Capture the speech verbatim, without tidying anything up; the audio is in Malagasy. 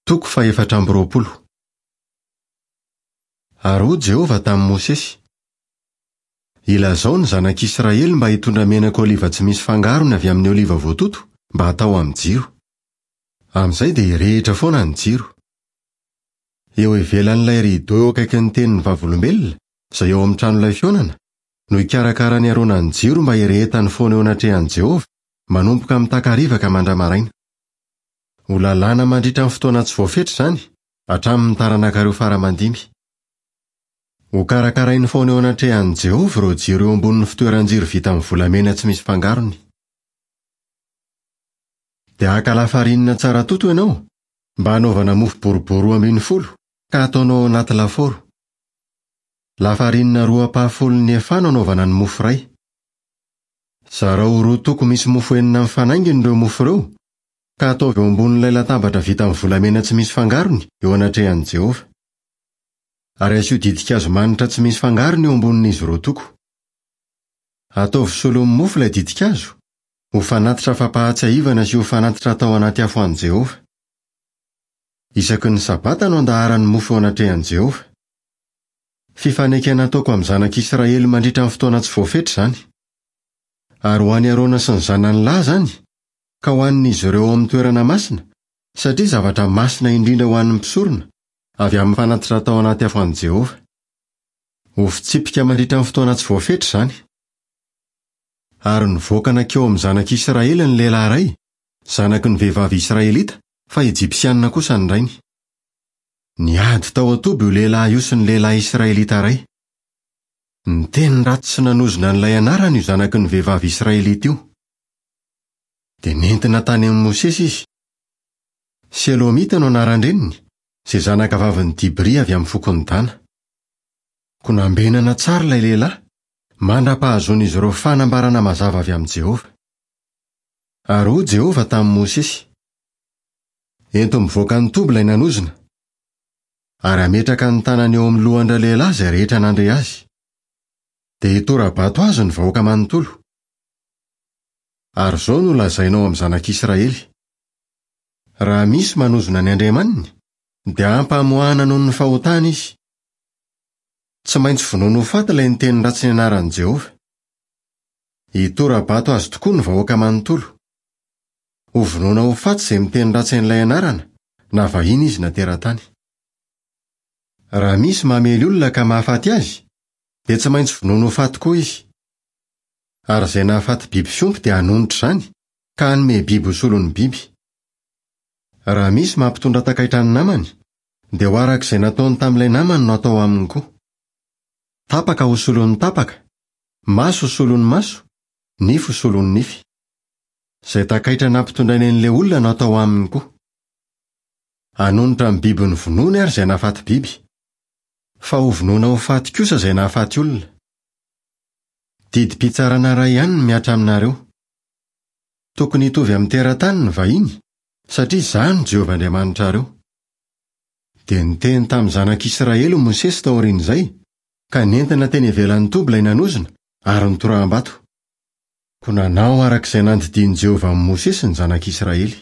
Toko fahefatra amby roapolo. Ary hoy Jehovah tamin'i Mosesy: Ilazao ny zanak'Israely mba hitondra menaka oliva tsy misy fangarony avy amin'ny oliva voatoto mba hatao amin'ny jiro. Amin'izay dia hirehitra foana ny jiro. Eo ivelan'ilay rideau eo akaikin'ny tenin'ny vavolombelona, izay eo amin'ny tranolay fihaonana, no hikarakaran'i Arona ny jiro mba hirehetany foana eo anatrehan'i Jehovah, manomboka amin'ny takariva ka mandra-maraina. Ho lalàna mandritra ny fotoana tsy voafetra izany, hatramin'ny taranakareo fara aman-dimy. Ho karakarainy foana eo anatrehan'i Jehovah ireo jiro eo ambonin'ny fitoeran-jiro vita amin'ny volamena tsy misy fangarony. Dia haka lafarinina tsara toto ianao mba hanaovana mofo boribory roa ambin'ny folo ka hataonao ao anaty lafaoro. Lafarinina roa ampahafolon'ny efa no anaovana ny mofo iray. Zarao ho roa toko misy mofo enina mifanaingina ireo mofo ireo ka ataovy eo ambonin'ilay latabatra vita amin'ny volamena tsy misy fangarony eo anatrehan'i Jehovah. Ary asio ditin-kazo manitra tsy misy fangarony eo ambonin'izy roa toko. Ataovy solon'ny mofo ilay ditin-kazo, ho fanatitra fampahatsiahivana sy ho fanatitra atao anaty afo an'i Jehovah. Isaky ny sabata no andaharan'ny mofo eo anatrehan'i Jehovah. Fifanekena ataoko amin'ny zanak'Israely mandritra ny fotoana tsy voafetra izany. Ary ho an'i Arona sy ny zanany lahy izany, ka ho hanin'izy ireo ao amin'ny toerana masina, satria zavatra masina indrindra ho an'ny mpisorona, avy amin'ny fanatitra atao anaty afo an'i Jehovah. Ho fitsipika mandritra ny fotoana tsy voafetra izany. Ary nivoaka nankeo amin'ny zanak'Israely ny lehilahy iray, zanaky ny vehivavy Israelita, fa Ejipsianina kosa ny rainy. Niady tao an-toby io lehilahy io sy ny lehilahy Israelita iray. Niteny ratsy sy nanozona an'ilay anarany io zanaky ny vehivavy Israelita io. Dia nentina tany amin'i Mosesy izy. Selomita no anaran-dreniny, izay zanaka vavin'i Dibry avy amin'ny fokon'i Dana. Koa nambenana tsara ilay lehilahy, mandra-pahazoan'izy ireo fanambarana mazava avy amin'i Jehovah. Ary hoy Jehovah tamin'i Mosesy: Ento mivoaka ny toby ilay nanozona, ary hametraka ny tanany eo amin'ny lohan-dralehilahy izay rehetra nandre azy. Dia hitora-bato azy ny vahoaka manontolo. Ary izao no lazainao amin'ny zanak'Israely: Raha misy manozona ny Andriamaniny, dia hampamoahana noho ny fahotana izy. Tsy maintsy vonoina ho faty ilay niteny ratsy ny anaran'i Jehovah. Hitora-bato azy tokoa ny vahoaka manontolo. Ho vonoina ho faty izay miteny ratsy an'ilay anarana, na vahiny izy na teratany. Raha misy mamely olona ka mahafaty azy, dia tsy maintsy vonoina ho faty koa izy. Ary izay nahafaty biby fiompy dia hanonitra izany, ka hanome biby ho solon'ny biby. Raha misy mampitondra takaitra ny namany, dia ho araka izay nataony tamin'ilay namany no atao aminy koa. Tapaka ho solon'ny tapaka, maso ho solon'ny maso, nify ho solon'ny nify. Izay takaitra nampitondrainy an'ilay olona no atao aminy koa. Hanonitra ny biby novonoiny ary izay nahafaty biby. Fa ho vonoina ho faty kosa izay nahafaty olona. Didim-pitsarana iray ihany no mihatra aminareo. Tokony hitovy amin'ny teratany ny vahiny, satria izaho no Jehovah Andriamanitrareo. Dia niteny tamin'ny zanak'Israely Mosesy taorian'izay, ka nentina teny ivelan'ny toby ilay nanozona ary nitoraham-bato. Koa nanao araka izay nandidian'i Jehovah amin'i Mosesy ny zanak'Israely.